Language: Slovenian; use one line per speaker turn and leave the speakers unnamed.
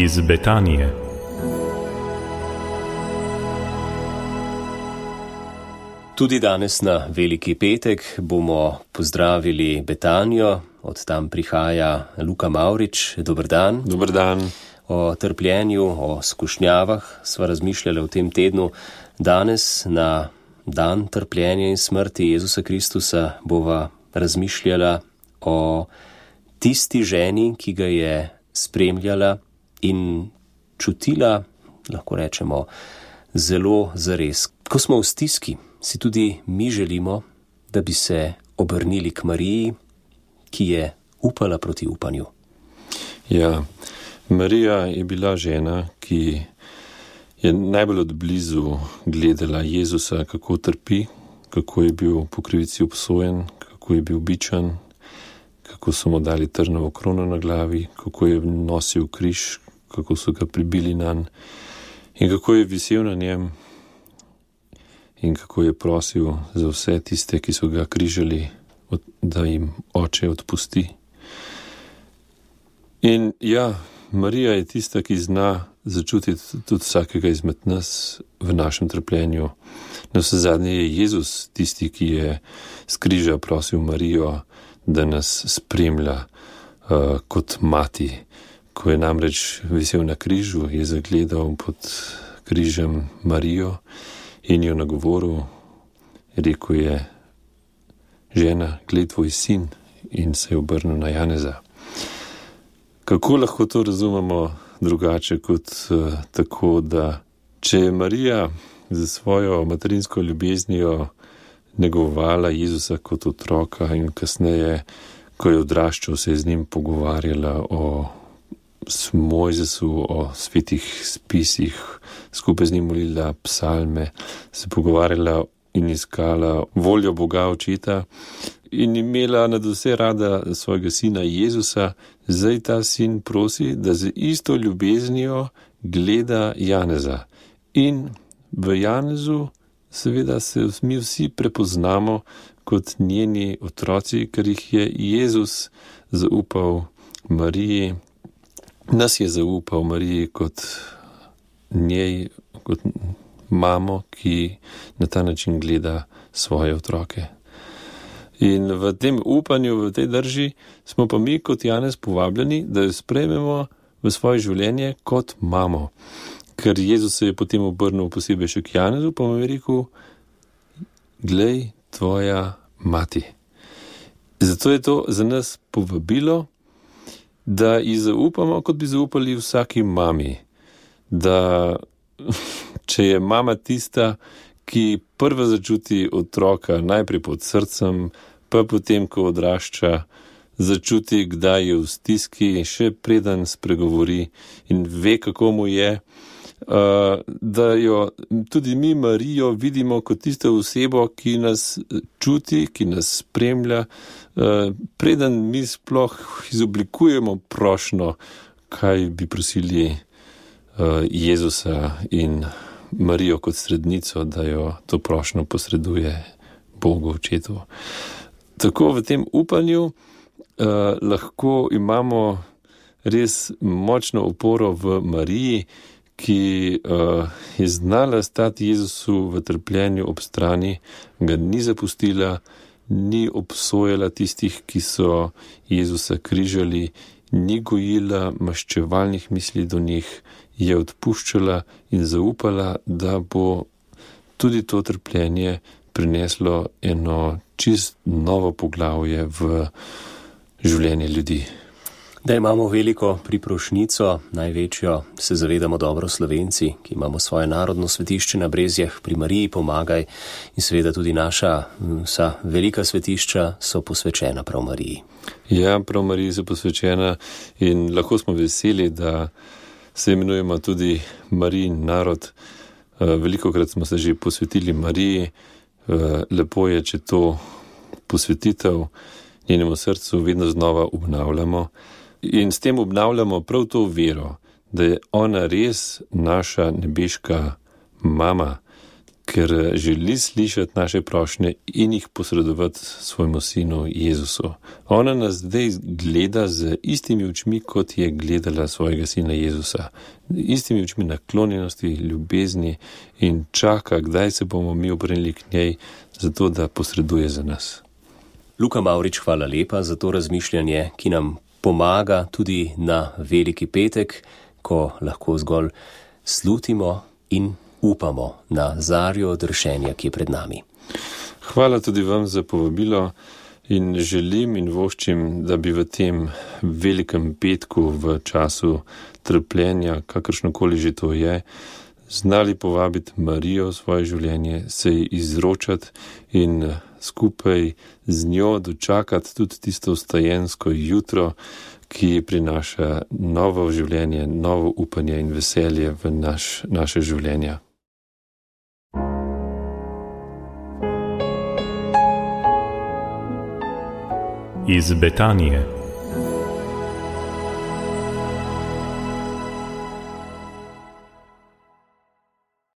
iz Betanije.
Tudi danes na Veliki petek bomo pozdravili Betanijo, od tam prihaja Luka Mavrič. Dober dan.
Dober dan.
O trpljenju, o skušnjavah sva razmišljali v tem tednu. Danes na dan trpljenja in smrti Jezusa Kristusa bova razmišljala o tisti ženi, ki ga je spremljala in čutila, lahko rečemo, zelo zares. Ko smo v stiski, si tudi mi želimo, da bi se obrnili k Mariji, ki je upala proti upanju.
Ja, Marija je bila žena, ki je najbolj od blizu gledala Jezusa, kako trpi, kako je bil po krivici obsojen, kako je bil bičan, kako so mu dali trnovo krono na glavi, kako je nosil križ, kako so ga pribili nanj in kako je visel na njem in kako je prosil za vse tiste, ki so ga križali, da jim Oče odpusti. In ja, Marija je tista, ki zna začutiti tudi vsakega izmed nas v našem trpljenju. Navsezadnje je Jezus tisti, ki je s križa prosil Marijo, da nas spremlja kot mati. Ko je namreč visel na križu, je zagledal pod križem Marijo in jo nagovoril, rekel je: žena, glej tvoj sin, in se je obrnil na Janeza. Kako lahko to razumemo drugače kot tako, da če je Marija za svojo materinsko ljubeznijo negovala Jezusa kot otroka in kasneje, ko je odraščal, se je z njim pogovarjala o Mojzesu, o svetih spisih, skupaj z njim molila psalme, se pogovarjala in iskala voljo Boga Očeta in imela nad vse rada svojega sina Jezusa, zdaj ta sin prosi, da z isto ljubeznijo gleda Janeza. In v Janezu seveda se mi vsi prepoznamo kot njeni otroci, ker jih je Jezus zaupal Mariji. Nas je zaupal Mariji kot njej, kot mamo, ki na ta način gleda svoje otroke. In v tem upanju, v tej drži, smo pa mi kot Janez povabljeni, da jo sprejmemo v svoje življenje kot mamo. Ker Jezus se je potem obrnil posebej še k Janezu, pa mu je rekel: glej, tvoja mati. Zato je to za nas povabilo, da ji zaupamo, kot bi zaupali vsaki mami. Da če je mama tista, ki prva začuti otroka najprej pod srcem, pa potem, ko odrašča, začuti, kdaj je v stiski, še preden spregovori in ve, kako mu je, da jo tudi mi Marijo vidimo kot tisto osebo, ki nas čuti, ki nas spremlja, preden mi sploh izoblikujemo prošnjo, kaj bi prosili Jezusa in Marijo kot srednico, da jo to prošnjo posreduje Bogu Očetu. Tako v tem upanju lahko imamo res močno oporo v Mariji, ki je znala stati Jezusu v trpljenju ob strani, ga ni zapustila, ni obsojala tistih, ki so Jezusa križali, ni gojila maščevalnih misli do njih, je odpuščala in zaupala, da bo tudi to trpljenje prineslo eno čist novo poglavje v življenje ljudi.
Da imamo veliko priprošnjico, največjo, se zavedamo dobro Slovenci, ki imamo svoje narodno svetišče na Brezjah pri Mariji Pomagaj, in seveda tudi naša vsa velika svetišča so posvečena prav Mariji.
Ja, prav Mariji so posvečena in lahko smo veseli, da se imenujemo tudi Marijin narod. Velikokrat smo se že posvetili Mariji. Lepo je, če to posvetitev njenemu srcu vedno znova obnavljamo. In s tem obnavljamo prav to vero, da je ona res naša nebeška mama, ker želi slišati naše prošnje in jih posredovati svojemu sinu Jezusu. Ona nas zdaj gleda z istimi očmi, kot je gledala svojega sina Jezusa. Istimi očmi naklonjenosti, ljubezni in čaka, kdaj se bomo mi obrnili k njej, zato da posreduje za nas.
Luka Mavrič, hvala lepa za to razmišljanje, ki nam pomaga tudi na Veliki petek, ko lahko zgolj slutimo in upamo na zarjo odrešenja, ki je pred nami.
Hvala tudi vam za povabilo in želim in voščim, da bi v tem velikem petku v času trpljenja, kakršnokoli že to je, znali povabiti Marijo v svoje življenje, se ji izročati in skupaj z njo dočakati tudi tisto vstajensko jutro, ki prinaša novo življenje, novo upanje in veselje v naše življenja.
Iz Betanije.